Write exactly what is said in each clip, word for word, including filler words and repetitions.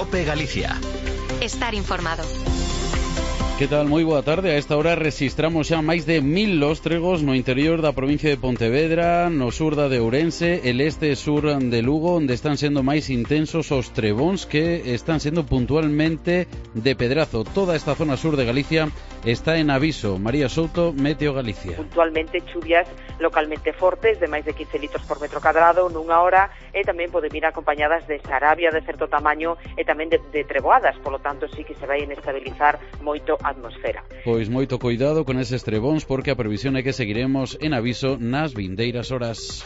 COPE Galicia. Estar informado. Que tal? Moi boa tarde. A esta hora registramos xa máis de mil lóstregos no interior da provincia de Pontevedra, no sur da de Ourense, el este e sur de Lugo, onde están sendo máis intensos os trebóns que están sendo puntualmente de pedrazo. Toda esta zona sur de Galicia está en aviso. María Souto, Meteo Galicia. Puntualmente chuvias localmente fortes de máis de quince litros por metro cadrado nunha hora e tamén poden vir acompañadas de sarabia de certo tamaño e tamén de, de treboadas, polo tanto sí que se vai inestabilizar moito a atmosfera. Pois moito cuidado con eses trebóns porque a previsión é que seguiremos en aviso nas vindeiras horas.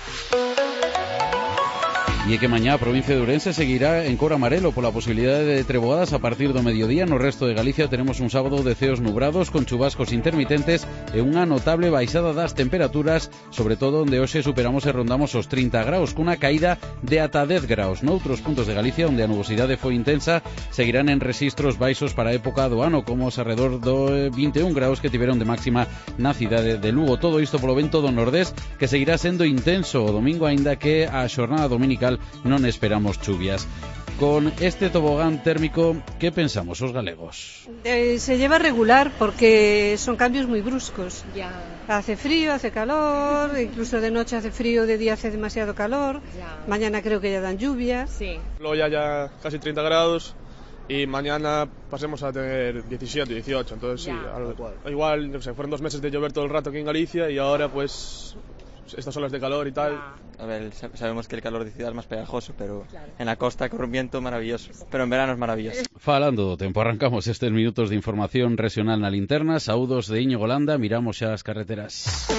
E é que mañá a provincia de Ourense seguirá en cor amarelo pola posibilidade de treboadas a partir do mediodía. No resto de Galicia tenemos un sábado de ceos nubrados con chubascos intermitentes e unha notable baixada das temperaturas, sobre todo onde hoxe superamos e rondamos os trinta graus, cunha caída de ata dez graus. Noutros puntos de Galicia, onde a nubosidade foi intensa, seguirán en rexistros baixos para a época do ano, como os arredor do vinte e un graus que tiveron de máxima na cidade de Lugo. Todo isto polo vento do nordés, que seguirá sendo intenso o domingo, aínda que a xornada dominical non esperamos chuvias. Con este tobogán térmico, ¿qué pensamos os galegos? Eh, se lleva regular porque son cambios muy bruscos. Ya. Hace frío, hace calor, incluso de noche hace frío, de día hace demasiado calor. Ya. Mañana creo que ya dan lluvias. Sí. Luego ya, ya casi treinta grados y mañana pasemos a tener diecisiete, dieciocho. Entonces ya. sí, algo, igual, no sé, fueron dos meses de llover todo el rato aquí en Galicia y ahora pues estas olas de calor y tal. Ya. A ver, sabemos que el calor de ciudad es más pegajoso, pero claro, en la costa corre un viento maravilloso, pero en verano es maravilloso. Falando do tempo, arrancamos estes minutos de información regional na linterna. Saúdos de Íñigo Golanda, miramos xa as carreteras.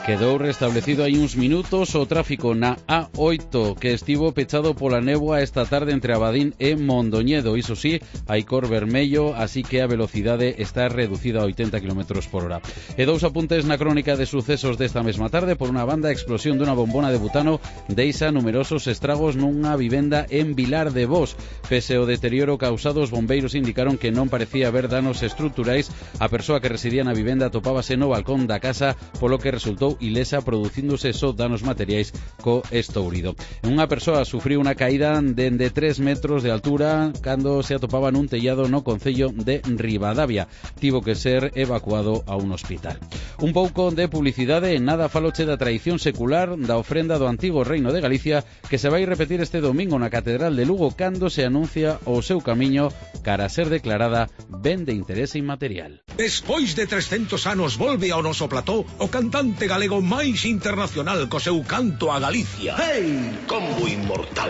Quedou restablecido hai uns minutos o tráfico na A oito, que estivo pechado pola néboa esta tarde entre Abadín e Mondoñedo. Iso sí, hai cor vermello, así que a velocidade está reducida a oitenta kilómetros por hora. E dous apuntes na crónica de sucesos desta mesma tarde. Por unha banda, a explosión dunha bombona de butano deixa numerosos estragos nunha vivenda en Vilar de Bos. Pese ao deterioro causado, os bombeiros indicaron que non parecía haber danos estruturais. A persoa que residía na vivenda topábase no balcón da casa, polo que resultou ilesa, producíndose só danos materiais co estourido. Unha persoa sufriu unha caída dende tres metros de altura cando se atopaba nun tellado no concello de Ribadavia. Tivo que ser evacuado a un hospital. Un pouco de publicidade. En nada faloche da tradición secular da ofrenda do antigo Reino de Galicia, que se vai repetir este domingo na Catedral de Lugo cando se anuncia o seu camiño cara a ser declarada ben de interese inmaterial. Despois de trescentos anos volve ao noso plató o cantante galego máis internacional co seu canto a Galicia. ¡Hey! Combo inmortal.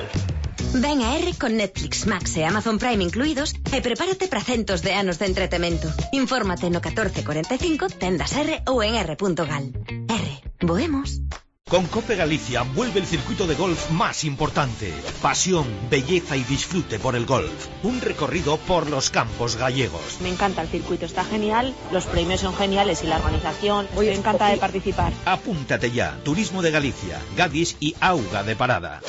Ven a R con Netflix, Max e Amazon Prime incluídos e prepárate para centos de anos de entretemento. Infórmate no catorce cuarenta e cinco, tendas R ou en r punto gal. R, voemos. Con COPE Galicia vuelve el circuito de golf más importante. Pasión, belleza y disfrute por el golf. Un recorrido por los campos gallegos. me encanta el circuito, está genial, los premios son geniales y la organización, me encanta de participar. Apúntate ya. Turismo de Galicia, Gadis y Auga de Parada.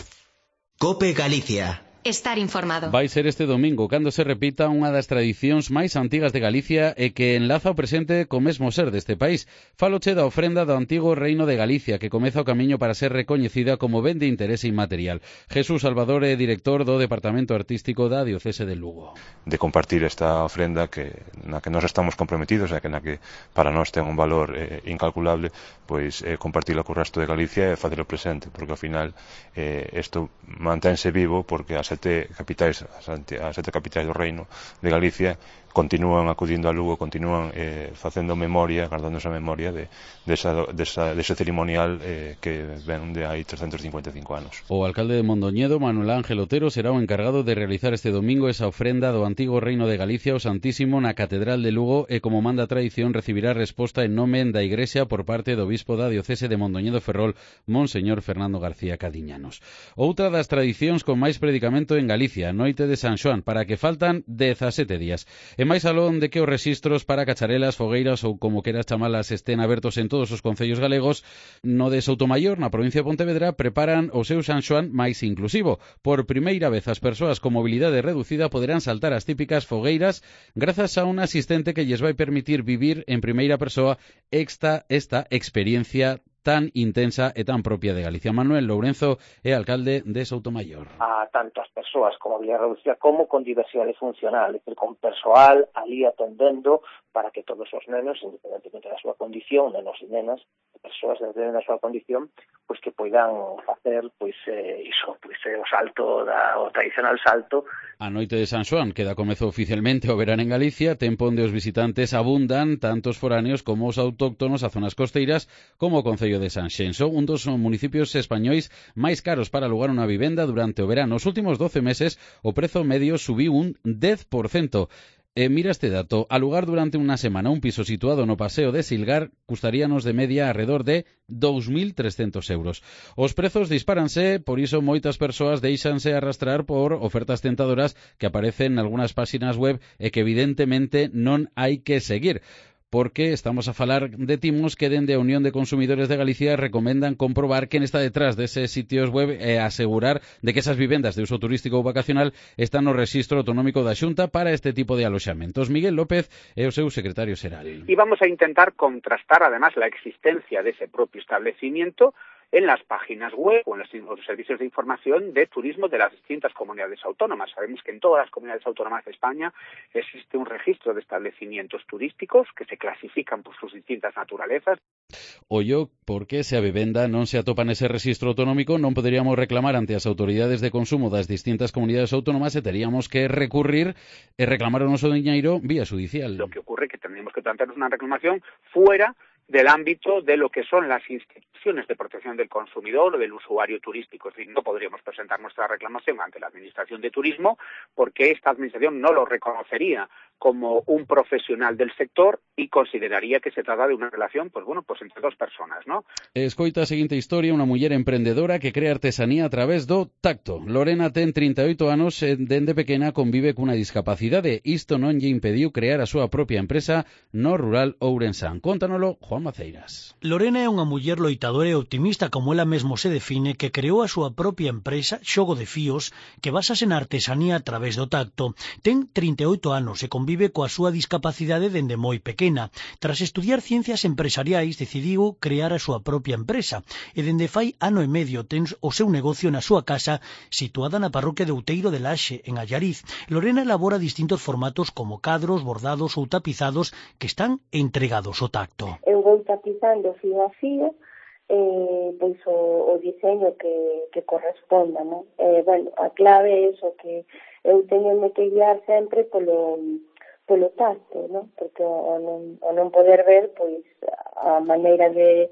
COPE Galicia. Estar informado. Vai ser este domingo cando se repita unha das tradicións máis antigas de Galicia e que enlaza o presente co mesmo ser deste país. Faloche da ofrenda do antigo Reino de Galicia, que comeza o camiño para ser recoñecida como ben de interese inmaterial. Jesús Salvador é director do Departamento Artístico da Diocese de Lugo. De compartir esta ofrenda que na que nós estamos comprometidos e que na que para nós ten un valor eh, incalculable, pois eh, compartilo co resto de Galicia e facelo presente, porque ao final eh, isto mantense vivo porque as sete capitais, as sete capitais do Reino de Galicia continúan acudindo a Lugo, continúan eh, facendo memoria, guardando esa memoria de, de, esa, de, esa, de ese ceremonial eh, que ven de hai trescentos cincuenta e cinco anos. O alcalde de Mondoñedo, Manuel Ángel Otero, será o encargado de realizar este domingo esa ofrenda do antigo Reino de Galicia ao Santísimo na Catedral de Lugo e, como manda a tradición, recibirá resposta en nome da Igrexa por parte do bispo da Diocese de Mondoñedo Ferrol, Monseñor Fernando García Cadiñanos. Outra das tradicións con máis predicamento en Galicia, Noite de San Xoán, para que faltan dezasete días. E máis alón de que os rexistros para cacharelas, fogueiras ou como queras chamalas estén abertos en todos os concellos galegos, no de Soutomaior, na provincia de Pontevedra, preparan o seu San Xoán máis inclusivo. Por primeira vez as persoas con mobilidade reducida poderán saltar as típicas fogueiras grazas a un asistente que lles vai permitir vivir en primeira persoa esta, esta experiencia tan intensa e tan propia de Galicia. Manuel Lourenzo é alcalde de Soutomaior. A tanto as persoas como a vía reducida como con diversidade funcional, é dicir, con persoal ali atendendo para que todos os nenos, independentemente da súa condición, nenos e nenas, persoas dependendo da súa condición, pois que poidan facer pois eh, iso, pois eh, o salto da, o tradicional salto. A noite de San Xoán, que dá comezo oficialmente o verán en Galicia, tempo onde os visitantes abundan, tanto os foráneos como os autóctonos a zonas costeiras, como o concello de Sanxenxo, un dos municipios españois máis caros para alugar unha vivenda durante o verano. Os últimos doce meses o prezo medio subiu un dez por cento. E mira este dato, alugar durante unha semana un piso situado no Paseo de Silgar custaríanos de media alrededor de dous mil trescentos euros. Os prezos dispáranse, por iso moitas persoas deixanse arrastrar por ofertas tentadoras que aparecen en algunhas páxinas web e que evidentemente non hai que seguir. Porque estamos a falar de timos que dende a Unión de Consumidores de Galicia recomendan comprobar quen está detrás deses sitios web e asegurar de que esas vivendas de uso turístico ou vacacional están no rexistro autonómico da Xunta para este tipo de aloxamentos. Miguel López é o seu secretario xeral. Y vamos a intentar contrastar además la existencia de ese propio establecimiento en las páginas web o en los, los servicios de información de turismo de las distintas comunidades autónomas. Sabemos que en todas las comunidades autónomas de España existe un registro de establecimientos turísticos que se clasifican por sus distintas naturalezas. Ollo, porque se a vivenda non se atopa nese registro autonómico non poderíamos reclamar ante as autoridades de consumo das distintas comunidades autónomas e teríamos que recurrir e reclamar o noso diñeiro vía judicial. Lo que ocurre es que tendríamos que plantearnos una reclamación fuera del ámbito de lo que son las instituciones de protección del consumidor o del usuario turístico. Es decir, no podríamos presentar nuestra reclamación ante la Administración de Turismo porque esta Administración no lo reconocería como un profesional del sector y consideraría que se trata de una relación, pues bueno, pues entre dos personas, ¿no? Escoita a seguinte historia, unha muller emprendedora que crea artesanía a través do tacto. Lorena ten trinta e oito anos e dende pequena convive cunha discapacidade. Isto non lle impediu crear a súa propia empresa no rural ourensán. Contanolo Juan Maceiras. Lorena é unha muller loitadora e optimista, como ela mesmo se define, que creou a súa propia empresa, Xogo de Fíos, que basase na artesanía a través do tacto. Ten trinta e oito anos e convive coa súa discapacidade dende moi pequena. Tras estudiar ciencias empresariais, decidiu crear a súa propia empresa e dende fai ano e medio ten o seu negocio na súa casa situada na parroquia de Outeiro de Laxe, en Allariz. Lorena elabora distintos formatos como cadros, bordados ou tapizados que están entregados ao tacto. Eu vou tapizando fío a fío eh, pois o, o diseño que, que corresponda, non? Eh, bueno, a clave é iso, que eu teño que guiar sempre polo polo tacto, non? Porque o non, o non poder ver, pois a maneira de,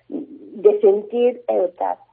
de sentir é o tacto.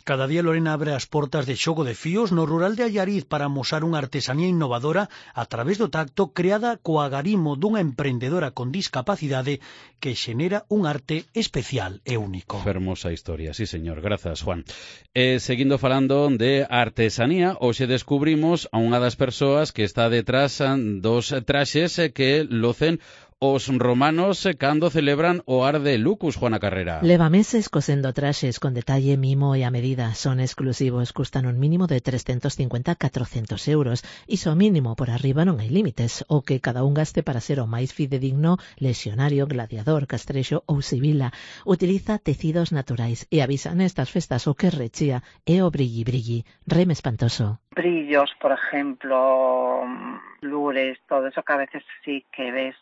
Cada día Lorena abre as portas de Xogo de Fíos no rural de Allariz para amosar unha artesanía innovadora a través do tacto creada co agarimo dunha emprendedora con discapacidade que xenera un arte especial e único. Fermosa historia, sí señor, grazas Juan. E seguindo falando de artesanía, hoxe descubrimos a unha das persoas que está detrás dos traxes que locen os romanos cando celebran o Ar de Lucus, Juana Carrera. Leva meses cosendo traxes con detalle, mimo e a medida. Son exclusivos, custan un mínimo de trescentos cincuenta a catrocentos euros. Iso mínimo, por arriba non hai límites. O que cada un gaste para ser o máis fidedigno, lexionario, gladiador, castrexo ou sibila. Utiliza tecidos naturais e avisa nestas festas o que rechía é o brilli brilli. Reme espantoso. Brillos, por ejemplo, lures, todo eso que a veces sí que ves,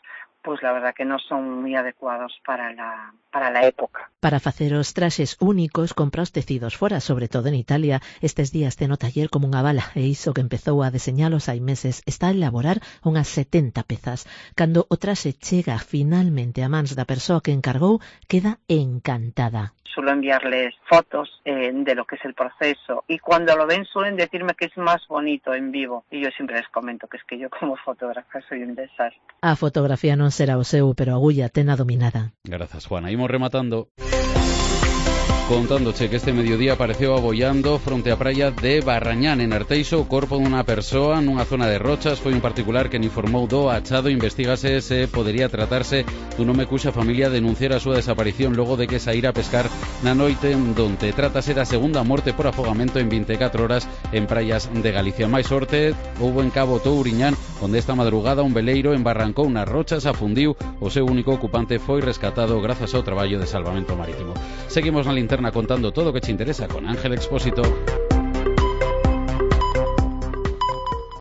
pues la verdad que no son muy adecuados para la, para la época. Para facer os traxes únicos, compra os tecidos fora, sobre todo en Italia. Estes días ten o taller como unha bala, e iso que empezou a deseñalos hai meses está a elaborar unhas setenta pezas. Cando o traxe chega finalmente a mans da persoa que encargou, queda encantada. Suelo enviarles fotos eh, de lo que es el proceso y cuando lo ven suelen decirme que es más bonito en vivo y yo siempre les comento que es que yo como fotógrafa soy un desastre. A fotografía non será o seu, pero a agulla tena dominada. Grazas, Juana. Imos rematando. Contándoche que este mediodía apareceu abollando fronte á praia de Barrañán, en Arteixo, o corpo dunha persoa nunha zona de rochas. Foi un particular que informou do achado. Investígase se podería tratarse dun home cuxa familia denunciara a súa desaparición logo de que saíra a pescar na noite, donde trátase da segunda morte por afogamento en vinte e catro horas en praias de Galicia. Máis sorte houbo en Cabo Touriñán, onde esta madrugada un veleiro embarrancou nas rochas, afundiu. O seu único ocupante foi rescatado grazas ao traballo de salvamento marítimo. Seguimos na linterna contando todo o que te interesa con Ángel Expósito.